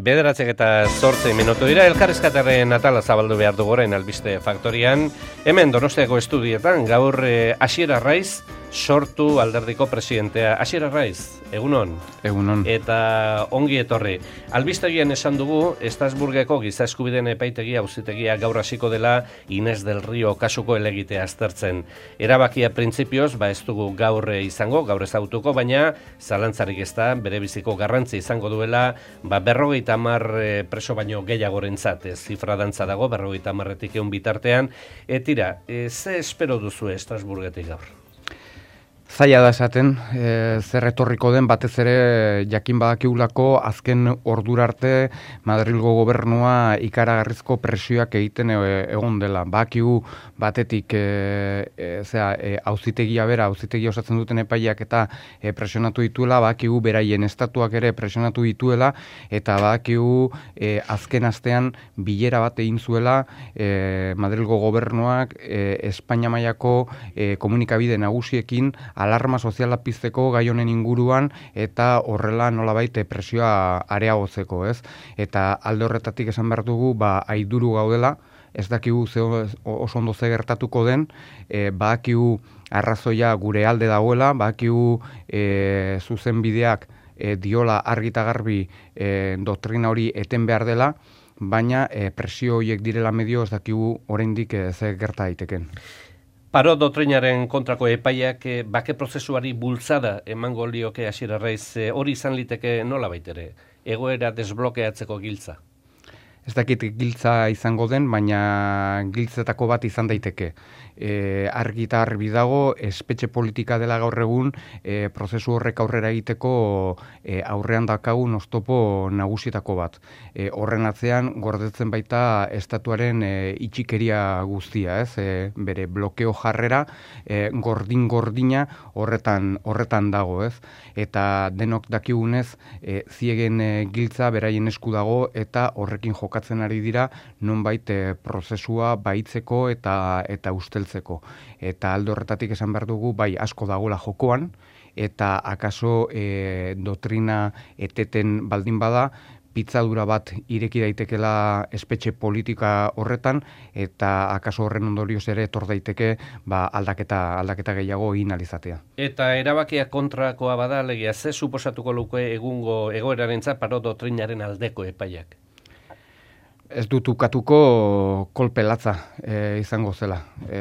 9:08 dira, elkarrizketaren atala zabaldu behar dugu orain albiste faktorian. Hemen Donostiako estudietan gaur Asier Arraiz sortu alderdiko presidentea. Asier Arraiz, egunon. Egunon. Eta ongi etorri. Albistegian esan dugu, Estrasburgeko giza eskubideen epaitegia auzitegia gaur hasiko dela Inés del Río kasuko helegitea aztertzen. Erabakia printzipioz, ez dugu gaur izango, gaur ezagutuko, baina zalantzarik ez da, bere biziko garrantzi izango duela, 50 preso baino gehiagorentzat, zifra dantza dago, 50 bitartean. Tira, ze espero duzu Estrasburgetik gaur? Zaila da esaten, zer etorriko den batez ere jakin badakiulako azken ordura arte Madrilgo gobernua ikaragarrizko presioak egiten egon dela. Badakigu batetik auzitegia osatzen duten epaileak eta presionatu dituela, badakigu beraien estatuak ere presionatu dituela, eta badakigu azken astean bilera bat egin zuela Madrilgo gobernuak Espainia mailako komunikabide nagusiekin alarma soziala pizteko gai honen inguruan eta horrela nolabait presioa areagotzeko, ez? Eta alde horretatik esan behar dugu, aiduru gaudela, ez dakigu oso ondo ze gertatuko den, badakigu arrazoia gure alde dagoela, badakigu zuzenbideak diola argi eta garbi doktrina hori eten behar dela, baina presio horiek direla medio ez dakigu oraindik ze gerta daiteken. Paro doktrinaren kontrako epaiak bake prozesuari bultzada emango lioke Asier Arraiz, hori izan liteke nola baitere, egoera desblokeatzeko giltza? Ez dakit giltza izango den, baina giltzetako bat izan daiteke. Argi eta argi dago, espetxe politika dela gaur egun, prozesu horrek aurrera egiteko aurrean dakagun oztopo nagusietako bat. Horren atzean, gordetzen baita estatuaren itxikeria guztia, ez? Bere blokeo jarrera, gordin-gordina horretan dago, ez? Eta denok dakigunez, ziegen giltza beraien esku dago eta horrekin jokatzen ari dira nonbait prozesua baitzeko eta usteltzeko. Eta alde horretatik esan behar dugu, asko dagoela jokoan, eta akaso doktrina eteten baldin bada, pitzadura bat ireki daitekela espetxe politika horretan, eta akaso horren ondorioz ere etor daiteke aldaketa gehiago egin alizatea. Eta erabakia kontrakoa bada, alegia, ze suposatuko luke egungo egoerarentzat paro doktrinaren aldeko epaiak? Ez dut ukatuko kolpe latza izango zela.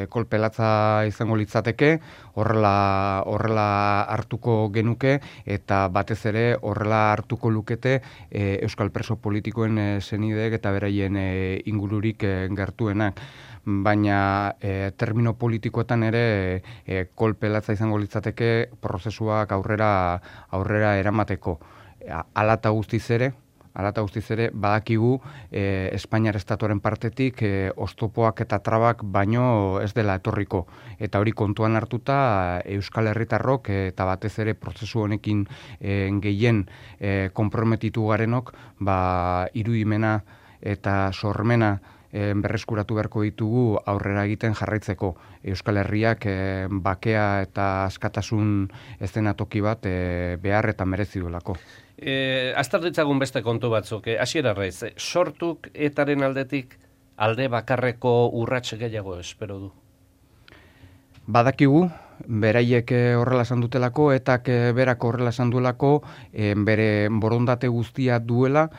Kolpe latza izango litzateke, horrela hartuko genuke, eta batez ere horrela hartuko lukete euskal preso politikoen senideek eta beraien ingururik gertuenak. Baina termino politikoetan ere kolpe latza izango litzateke prozesuak aurrera eramateko. Hala eta guztiz ere, badakigu Espainiar estatuaren partetik oztopoak eta trabak baino ez dela etorriko. Eta hori kontuan hartuta Euskal Herritarrok eta batez ere prozesu honekin gehien konprometitu garenok, irudimena eta sormena berreskuratu beharko ditugu aurrera egiten jarraitzeko. Euskal Herriak bakea eta askatasun eszenatoki bat behar eta merezi duelako. Azter ditzagun beste kontu batzuk, Asier Arraiz, sortuk etaren aldetik alde bakarreko urrats gehiago espero du? Badakigu, beraiek horrela esan dutelako, etak berak horrela esan duelako, bere borondate guztia duela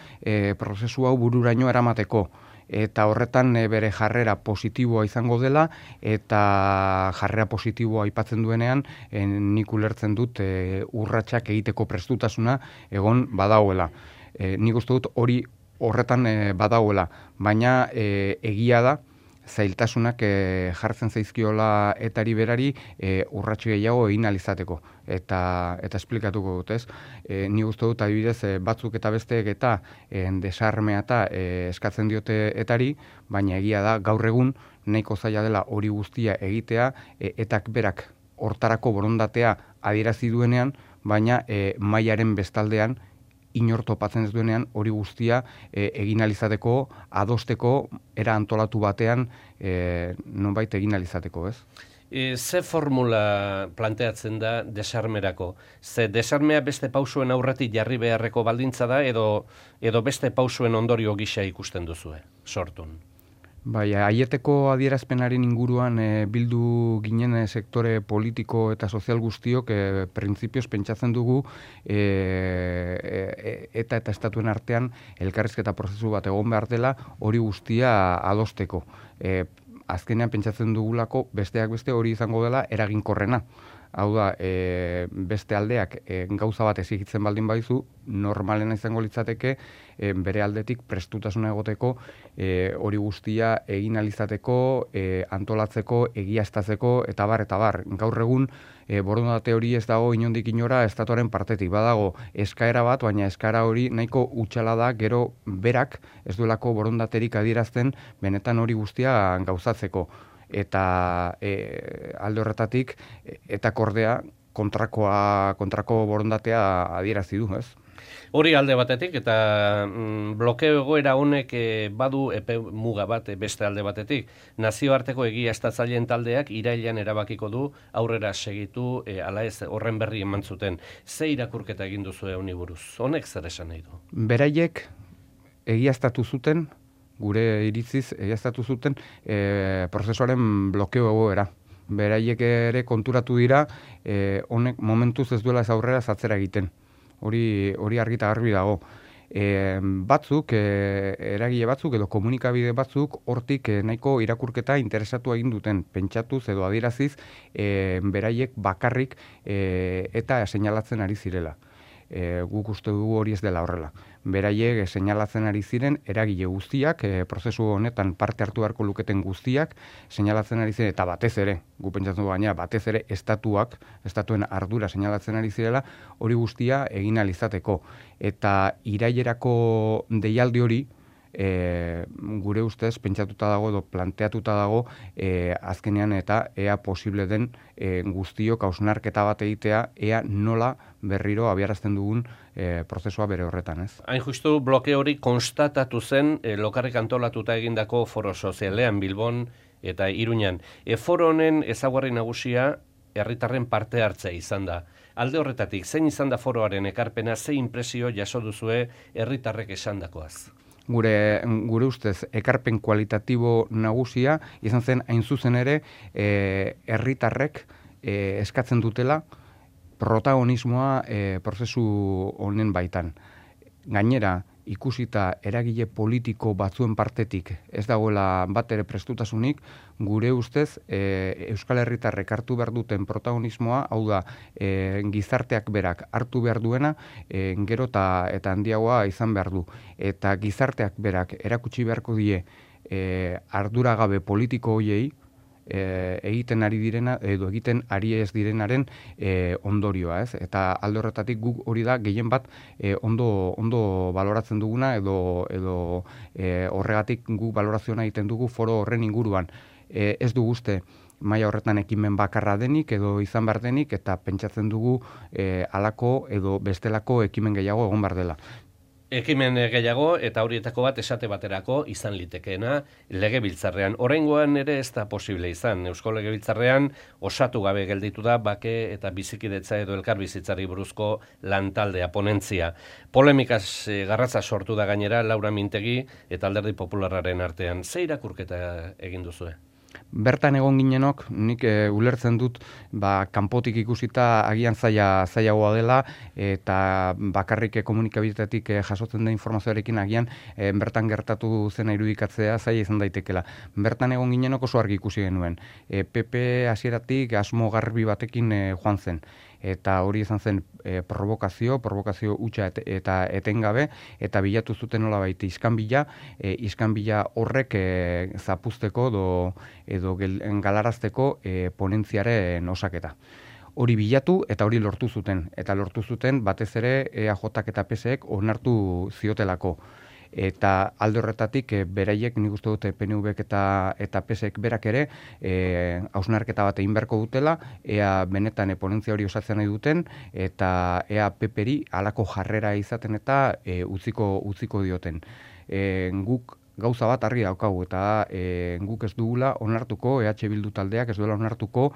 prozesu hau bururaino eramateko. Eta horretan bere jarrera positiboa izango dela, eta jarrera positiboa aipatzen duenean, nik ulertzen dut urratsak egiteko prestutasuna egon badagoela. Nik uste dut hori horretan badagoela, baina egia da, zailtasunak jartzen zaizkiola etari berari urratsu gehiago egin alizateko. Eta esplikatuko dut, ez? Ni uste dut adibidez batzuk eta besteek eta desarmea eta eskatzen diote etari, baina egia da gaur egun nahiko zaila dela hori guztia egitea, etak berak hortarako borondatea adierazi duenean, baina mailaren bestaldean inor topatzen ez duenean hori guztia egin alizateko, adosteko, era antolatu batean nonbait egin alizateko, ez? Ze formula planteatzen da desarmerako? Ze desarmea beste pausuen aurretik jarri beharreko baldintza da edo beste pausuen ondorio gisa ikusten duzue, sortun? Bai, aieteko adierazpenaren inguruan bildu ginen sektore politiko eta sozial guztiok printzipioz pentsatzen dugu eta estatuen artean elkarrizketa prozesu bat egon behar dela hori guztia adosteko. Azkenean pentsatzen dugulako besteak beste hori izango dela eraginkorrena. Hau da, beste aldeak gauza bat ezigitzen baldin baizu, normalena izango litzateke bere aldetik prestutasuna egoteko hori guztia egin alizateko, antolatzeko, egiaztatzeko, eta bar. Gaur egun, borondate hori ez dago inondik inora estatuaren partetik. Badago eskaera bat, baina eskaera hori nahiko utxala da gero berak ez duelako borondaterik adierazten benetan hori guztia gauzatzeko. Eta alde horretatik eta kordea kontrako borondatea adierazi du, ez? Hori alde batetik eta blokeo egoera honek badu epe muga bat beste alde batetik. Nazioarteko egiaztatzaileen taldeak irailean erabakiko du aurrera segitu ala ez horren berri eman zuten. Ze irakurketa egin duzue honi buruz? Honek zer esan nahi du? Beraiek egiaztatu zuten gure iritziz egiaztatu zuten prozesuaren blokeo egoera. Beraiek ere konturatu dira honek momentuz ez duela ez aurrera zatzera egiten. Hori argi eta garbi dago. Batzuk, eragile batzuk edo komunikabide batzuk hortik nahiko irakurketa interesatu egin duten, pentsatuz edo adieraziz beraiek bakarrik eta seinalatzen ari zirela. Guk uste dugu hori ez dela horrela. Beraiek seinalatzen ari ziren eragile guztiak, prozesu honetan parte hartu beharko luketen guztiak, seinalatzen ari ziren, eta batez ere, gu pentsatzen dugu baina, batez ere estatuen ardura seinalatzen ari zirela, hori guztia egin ahal izateko. Eta irailerako deialdi hori, gure ustez pentsatuta dago edo planteatuta dago azkenean eta ea posible den guztiok hausnarketa bat egitea, ea nola berriro abiarazten dugun prozesua bere horretan, ez? Hain justu bloke hori konstatatu zen lokarrik antolatuta egindako foro sozialean Bilbon eta Iruñan. Foro honen ezaugarri nagusia herritarren parte hartzea izan da. Alde horretatik, zein izan da foroaren ekarpena, ze inpresio jaso duzue herritarrek esandakoaz? Gure ustez, ekarpen kualitatibo nagusia izan zen hain zuzen ere herritarrek eskatzen dutela protagonismoa prozesu honen baitan. Gainera, ikusita eragile politiko batzuen partetik ez dagoela bat ere prestutasunik, gure ustez Euskal Herritarrek hartu behar duten protagonismoa, hau da, gizarteak berak hartu behar duena, gero eta handiagoa izan behar du. Eta gizarteak berak erakutsi beharko die arduragabe politiko hoiei, egiten ari direna edo egiten ari ez direnaren ondorioa, ez? Eta alde horretatik guk hori da gehien bat ondo baloratzen duguna edo horregatik guk balorazioa egiten dugu foro horren inguruan. Ez du uste maila horretan ekimen bakarra denik edo izan behar denik eta pentsatzen dugu halako edo bestelako ekimen gehiago egon behar dela. Ekimen gehiago eta horietako bat esate baterako izan litekeena legebiltzarrean. Oraingoan ere ez da posible izan. Eusko Legebiltzarrean osatu gabe gelditu da bake eta bizikidetza edo elkarbizitzari buruzko lantaldea ponentzia. Polemikaz garratza sortu da gainera Laura Mintegi eta Alderdi Popularraren artean. Ze irakurketa egin duzue? Bertan egon ginenok, nik ulertzen dut kanpotik ikusita agian zailagoa dela eta bakarrik komunikabidetatik jasotzen den informazioarekin agian bertan gertatu zena irudikatzea zaila izan daitekela. Bertan egon ginenok oso argi ikusi genuen. PP hasieratik asmo garbi batekin joan zen. Eta hori izan zen provokazio hutsa eta etengabe, eta bilatu zuten nolabait iskanbila horrek zapuzteko edo galarazteko ponentziaren osaketa. Hori bilatu eta hori lortu zuten. Eta lortu zuten batez ere EAJak eta PSek onartu ziotelako. Eta alde horretatik beraiek nik uste dute PNVek eta PSek berak ere hausnarketa bat egin beharko dutela, ea benetan ponentzia hori osatzen nahi duten eta ea PPri halako jarrera izaten eta utziko dioten. Guk gauza bat argi daukagu, eta guk ez dugula onartuko, EH Bildu taldeak ez duela onartuko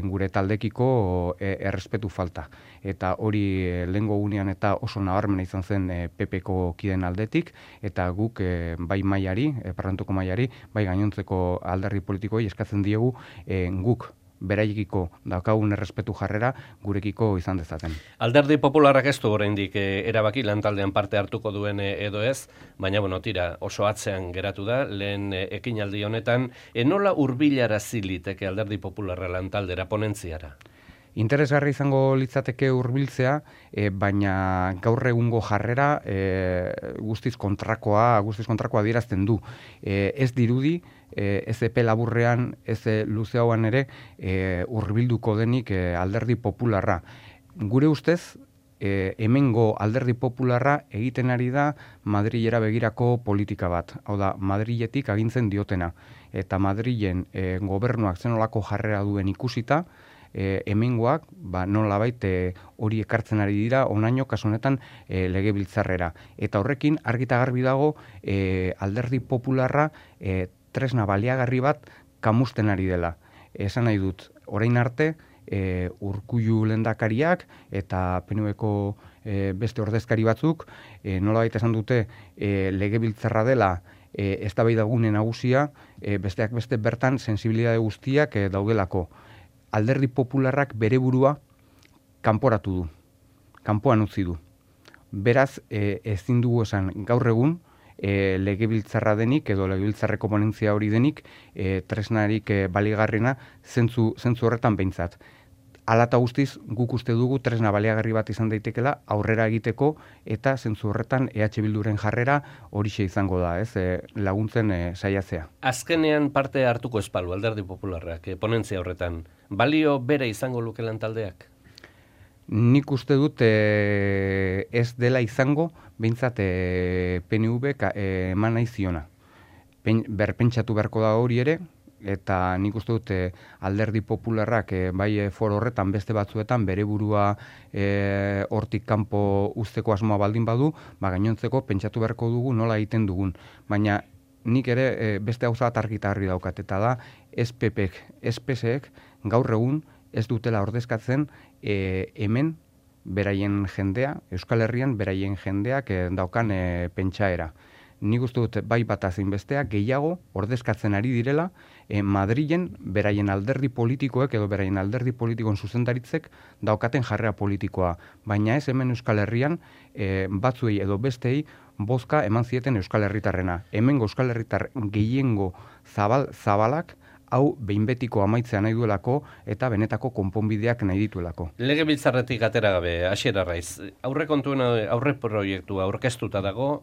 gure taldekiko errespetu falta. Eta hori lehengo gunean eta oso nabarmena izan zen PP-ko kideen aldetik, eta guk bai mailari, parlamentuko mailari, bai gainontzeko alderdi politikoei eskatzen diegu guk beraiekiko daukagun errespetu jarrera gurekiko izan dezaten. Alderdi Popularrak ez du oraindik erabaki lantaldean parte hartuko duen edo ez, baina tira oso atzean geratu da, lehen ekinaldi honetan, nola hurbilarazi liteke Alderdi Popularra lantaldera ponentziara? Interesgarri izango litzateke hurbiltzea, baina gaur egungo jarrera guztiz kontrakoa adierazten du. Ez dirudi, ez epe laburrean, ez luze hauan ere, hurbilduko denik Alderdi Popularra. Gure ustez, hemengo Alderdi Popularra egiten ari da Madrilera begirako politika bat. Hau da, Madriletik agintzen diotena. Eta Madrilen gobernuak zenolako jarrera duen ikusita, hemengoak nolabait hori ekartzen ari dira onaino kasu honetan legebiltzarrera. Eta horrekin argita garbi dago Alderdi Popularra tresna baliagarri bat kamusten ari dela. Esan nahi dut, orain arte Urkullu lehendakariak eta PNVko beste ordezkari batzuk nolabait esan dute legebiltzarra dela eztabaidagune nagusia, besteak beste bertan sensibilitate guztiak daudelako. Alderdi Popularrak bere burua kanporatu du, kanpoan utzi du. Beraz, ezin dugu esan gaur egun legebiltzarra denik edo legebiltzarreko ponentzia hori denik tresnarik baligarrena zentzu horretan behintzat. Hala eta guztiz, guk uste dugu tresna baliagarri bat izan daitekela aurrera egiteko eta zentzu horretan EH Bilduren jarrera horixe izango da, laguntzen saiatzea. Azkenean parte hartuko espalu Alderdi Popularrak ponentzia horretan, balio bere izango luke lantaldeak? Nik uste dut ez dela izango, behintzat PNV eman nahi ziona. Berpentsatu beharko da hori ere, eta nik uste dut Alderdi Popularrak bai foro horretan beste batzuetan bere burua hortik kanpo uzteko asmoa baldin badu, gainontzeko pentsatu beharko dugu nola egiten dugun. Baina nik ere beste gauza bat argi daukat, eta da SPPek, SPSek gaur egun ez dutela ordezkatzen hemen beraien jendea, Euskal Herrian beraien jendeak daukan pentsaera. Nik uste dut bai bata zein bestea gehiago ordezkatzen ari direla Madrilen beraien alderdi politikoek edo beraien alderdi politikoen zuzendaritzek daukaten jarrera politikoa. Baina ez hemen Euskal Herrian batzuei edo bestei bozka eman zieten Euskal Herritarrena. Hemengo Euskal Herritar gehiengo zabalak hau behin betiko amaitzea nahi duelako eta benetako konponbideak nahi dituelako. Legebiltzarretik atera gabe, Asier Arraiz, aurre proiektua aurkeztuta dago,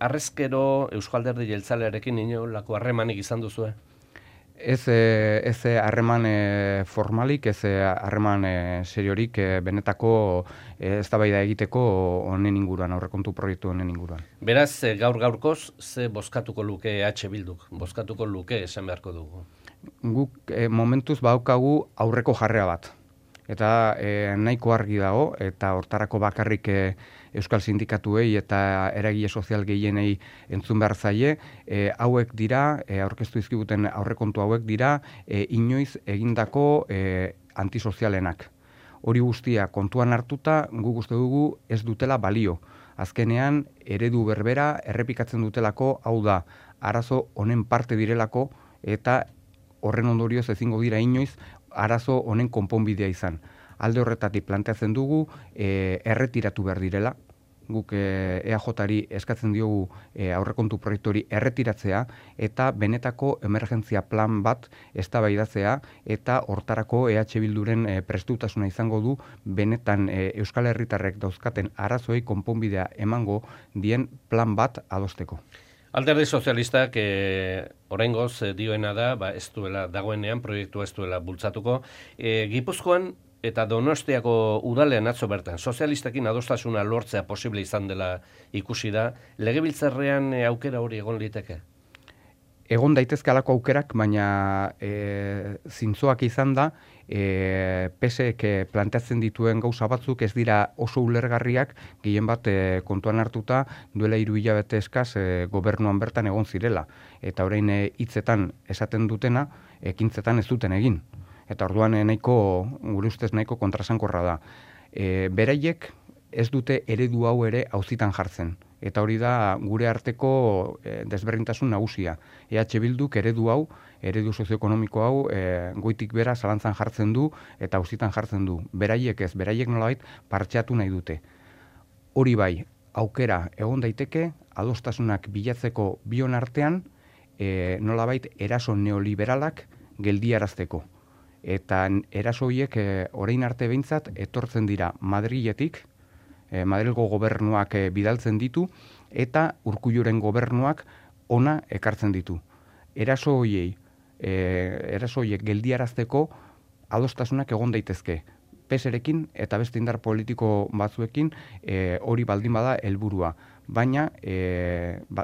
harrezkero Euskal Alderdi Jeltzalearekin inolako harremanik izan duzue? Ez harreman formalik, ez harreman seriorik benetako eztabaida egiteko honen inguruan, aurrekontu proiektu honen inguruan. Beraz, gaur-gaurkoz, ze bozkatuko luke EH Bilduk? Bozkatuko luke esan beharko dugu? Guk momentuz badaukagu aurreko jarrea bat. Eta nahiko argi dago, eta hortarako bakarrik Euskal Sindikatuei eta eragile sozial gehienei entzun behar zaie, hauek dira, aurkeztu izkibuten aurrekontu hauek dira, inoiz egindako antisozialenak. Hori guztia kontuan hartuta, guk uste dugu ez dutela balio. Azkenean, eredu berbera errepikatzen dutelako, hau da, arazo honen parte direlako, eta horren ondorioz ezingo dira inoiz, arazo honen konponbidea izan. Alde horretatik planteatzen dugu erretiratu behar direla. Guk EAJ-ari eskatzen diogu aurrekontu proiektori erretiratzea eta benetako emergentzia plan bat eztabaidatzea eta hortarako EH Bilduren prestutasuna izango du benetan Euskal Herritarrek dauzkaten arazoei konponbidea emango dien plan bat adosteko. Alderdi Sozialistak oraingoz dioena da, ez duela dagoenean proiektua ez duela bultzatuko. Gipuzkoan eta Donostiako udalean atzo bertan sozialistekin adostasuna lortzea posible izan dela ikusi da. Legebiltzarrean aukera hori egon liteke? Egon daitezke halako aukerak, baina zintzoak izan da, PSek planteatzen dituen gauza batzuk ez dira oso ulergarriak, gehien bat kontuan hartuta duela 3 hilabete eskaz gobernuan bertan egon zirela. Eta orain hitzetan esaten dutena, ekintzetan ez duten egin. Eta orduan gure ustez nahiko kontrasankorra da. Beraiek ez dute eredu hau ere auzitan jartzen. Eta hori da gure arteko desberdintasun nagusia. EH Bilduk eredu sozioekonomiko hau goitik bera zalantzan jartzen du eta auzitan jartzen du. Beraiek ez, beraiek nolabait partxeatu nahi dute. Hori bai, aukera egon daiteke, adostasunak bilatzeko bion artean, nolabait eraso neoliberalak geldiarazteko. Eta eraso horiek orain arte behintzat etortzen dira Madriletik, Madrilgo gobernuak bidaltzen ditu, eta Urkulluren gobernuak ona ekartzen ditu. Eraso horiek geldiarazteko adostasunak egon daitezke. PSrekin eta beste indar politiko batzuekin hori baldin bada helburua. Baina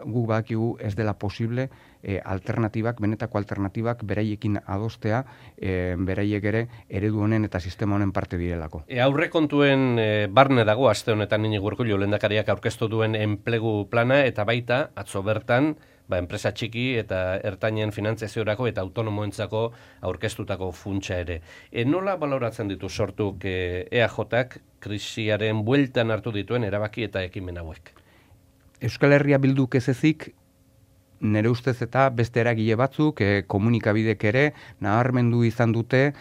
guk badakigu ez dela posible benetako alternatibak beraiekin adostea, beraiek ere eredu honen eta sistema honen parte direlako. Aurrekontuen barne dago aste honetan Iñigo Urkullu lehendakariak aurkeztu duen enplegu plana eta baita atzo bertan enpresa txiki eta ertainen finantziaziorako eta autonomoentzako aurkeztutako funtsa ere. Nola baloratzen ditu sortuk EAJak krisiaren bueltan hartu dituen erabaki eta ekimen hauek? Euskal Herria Bilduk ez ezik, nire ustez eta beste eragile batzuk, komunikabidek ere, nabarmendu izan dute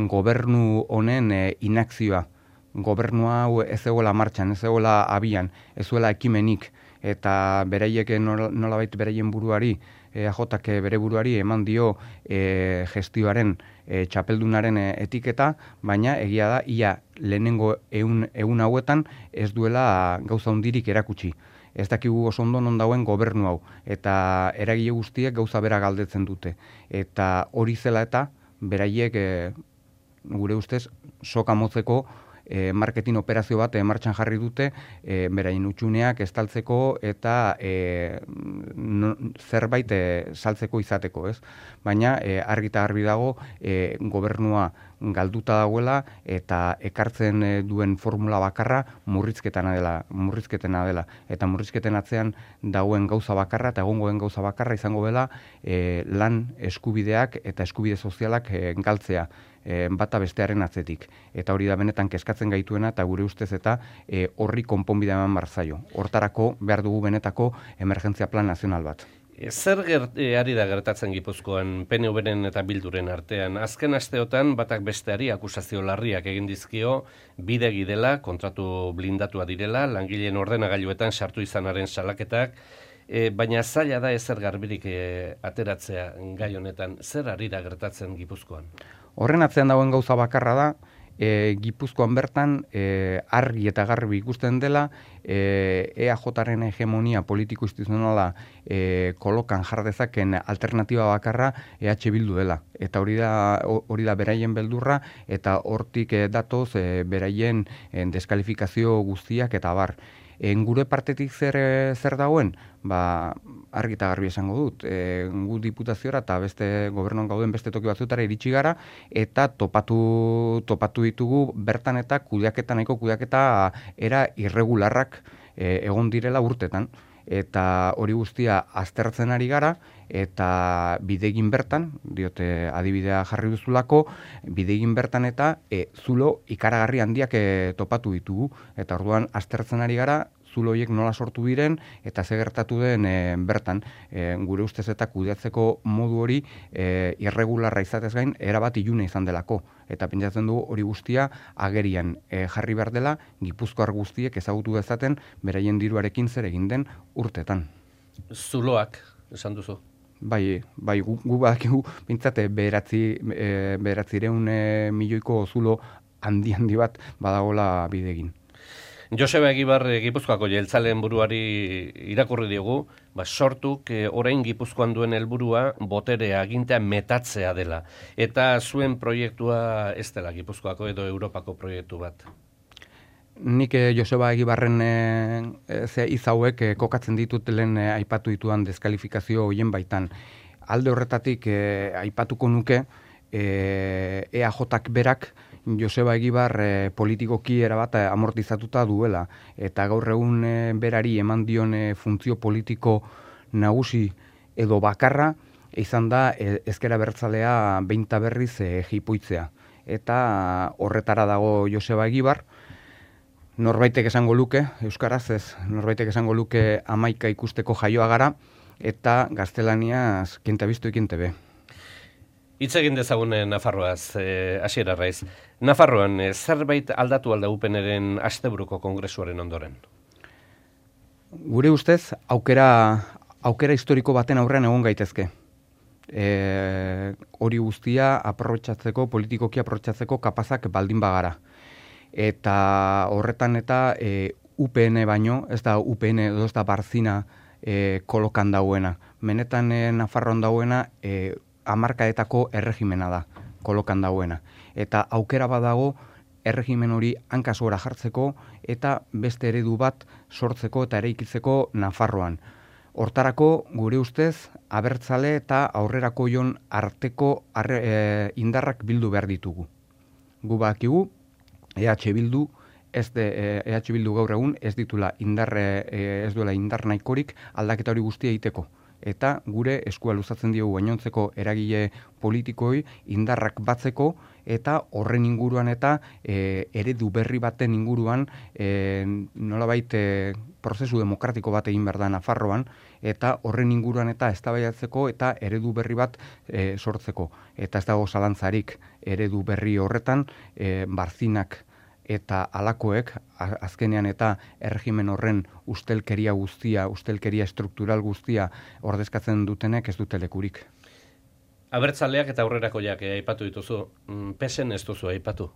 gobernu honen inakzioa. Gobernu hau ez egola martxan, ez egola abian, ez zuela ekimenik, eta beraiek nolabait beraien buruari, AJak bere buruari eman dio gestioaren txapeldunaren etiketa, baina egia da, ia lehenengo egun hauetan ez duela gauza hundirik erakutsi. Ez dakigu oso ondo non dauen gobernu hau, eta eragile guztiek gauza bera galdetzen dute. Eta hori zela eta beraiek gure ustez soka motzeko marketing operazio bat martxan jarri dute, beraien utxuneak estaltzeko eta zerbait saltzeko izateko, ez? Baina argi eta garbi dago gobernua galduta dagoela eta ekartzen duen formula bakarra murrizketena dela. Eta murrizketen atzean dagoen gauza bakarra eta egongoen gauza bakarra izango dela lan eskubideak eta eskubide sozialak galtzea bata bestearen atzetik. Eta hori da benetan kezkatzen gaituena eta gure ustez eta horri konponbidea eman behar zaio. Hortarako behar dugu benetako emergentzia plan nazional bat. Zer ari da gertatzen Gipuzkoan PNV-ren eta Bilduren artean? Azken asteotan batak besteari akusazio larriak egin dizkio bidegi dela, kontratu blindatua direla, langileen ordenagailuetan sartu izanaren salaketak, baina zaila da ezer garbirik ateratzea gai honetan. Zer ari da gertatzen Gipuzkoan? Horren atzean dagoen gauza bakarra da, Gipuzkoan bertan argi eta garbi ikusten dela EAJaren hegemonia politiko instituzionala kolokan jar dezaken alternatiba bakarra EH Bildu dela. Eta hori da beraien beldurra eta hortik datoz beraien deskalifikazio guztiak eta bar. Gure partetik zer dagoen? Argi eta garbi esango dut. Gu diputaziora eta beste gobernuan gauden beste toki batzutara iritsi gara eta topatu ditugu bertan eta nahiko kudeaketa era irregularrak egon direla urtetan. Eta hori guztia aztertzen ari gara eta bidegin bertan, diote adibidea jarri duzulako, bidegin bertan eta zulo ikaragarri handiak topatu ditugu. Eta orduan aztertzen ari gara, zulo horiek nola sortu diren eta ze gertatu den bertan. Gure ustez eta kudeatzeko modu hori irregularra izatez gain erabat ilune izan delako. Eta pentsatzen dugu hori guztia agerian jarri behar dela Gipuzkoar guztiek ezagutu dezaten beraien diruarekin zer egin den urtetan. Zuloak, esan duzu? Bai, gu badakigu pintzate 900 milioiko zulo handi bat badagola bidegin. Joseba Egibar Gipuzkoako jeltzaleen buruari irakurri diogu, sortuk orain Gipuzkoan duen helburua boterea agintea metatzea dela. Eta zuen proiektua ez dela Gipuzkoako edo Europako proiektu bat. Nik Joseba Egibarren izauek kokatzen ditut lehen aipatu dituan deskalifikazio horien baitan. Alde horretatik aipatuko nuke EAJak berak Joseba Egibar politikoki erabat amortizatuta duela, eta gaur egun berari eman dion funtzio politiko nagusi edo bakarra izan da ezker abertzalea behin eta berriz jipoitzea. Eta horretara dago Joseba Egibar. Norbaitek esango luke, euskaraz ez, norbaitek esango luke 11 ikusteko jaioa gara, eta gaztelaniaz kiente biztu ikiente be. Hitz egin dezagun Nafarroaz, Asier Arraiz. Nafarroan zerbait aldatu alda UPNren asteburuko kongresuaren ondoren? Gure ustez, aukera historiko baten aurrean egon gaitezke. Hori guztia aprobetxatzeko, politikoki aprobetxatzeko kapazak baldin bagara. Eta horretan eta UPN baino, ez da UPN edo ez da Barzina kolokan dauena. Menetan Nafarroan dauena hamarkadetako erregimena da, kolokan dauena. Eta aukera badago erregimen hori hankaz gora jartzeko eta beste eredu bat sortzeko eta eraikitzeko Nafarroan. Hortarako, gure ustez, abertzale eta aurrerako jon arteko indarrak bildu behar ditugu. Gu bakigu, EH Bildu gaur egun ez duela indar nahikorik aldaketa hori guztia egiteko. Eta gure eskua luzatzen diogu gainontzeko eragile politikoi indarrak batzeko eta horren inguruan eta eredu berri baten inguruan nolabait prozesu demokratiko bat egin behar da Nafarroan, eta horren inguruan eta eztabaidatzeko eta eredu berri bat sortzeko. Eta ez dago zalantzarik eredu berri horretan Barzinak eta alakoek, azkenean eta erregimen horren ustelkeria guztia, ustelkeria struktural guztia ordezkatzen dutenek ez dute lekurik. Abertzaleak eta aurrerakoiak aipatu dituzu, PSN ez duzu aipatu?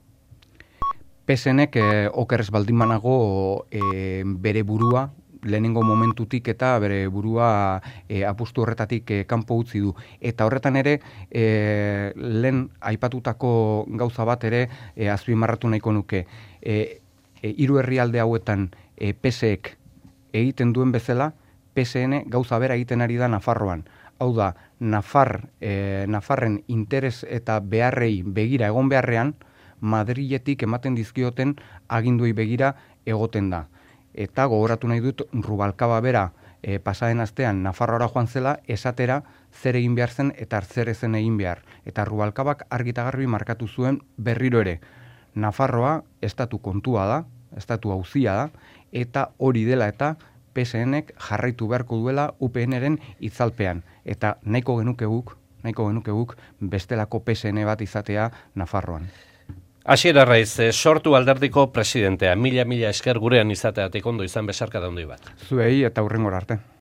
PSNek okerrez baldin banago bere burua, lehenengo momentutik eta bere burua apustu horretatik kanpo utzi du. Eta horretan ere, lehen aipatutako gauza bat ere azpimarratu nahiko nuke. Hiru herrialde hauetan PSek egiten duen bezala, PSN gauza bera egiten ari da Nafarroan. Hau da, Nafarren interes eta beharrei begira egon beharrean, Madriletik ematen dizkioten aginduei begira egoten da. Eta gogoratu nahi dut Rubalcaba bera pasaden astean Nafarroara joan zela esatera zer egin behar zen eta zer ezen egin behar. Eta Rubalcabak argi eta garbi markatu zuen berriro ere. Nafarroa estatu kontua da, estatu auzia da, eta hori dela eta PSNek jarraitu beharko duela UPNren itzalpean. Eta nahiko genuke guk bestelako PSN bat izatea Nafarroan. Asier Arraiz, sortu alderdiko presidentea, mila esker gurean izateatik ondo izan besarka da handi bat. Zuei eta hurrengora arte.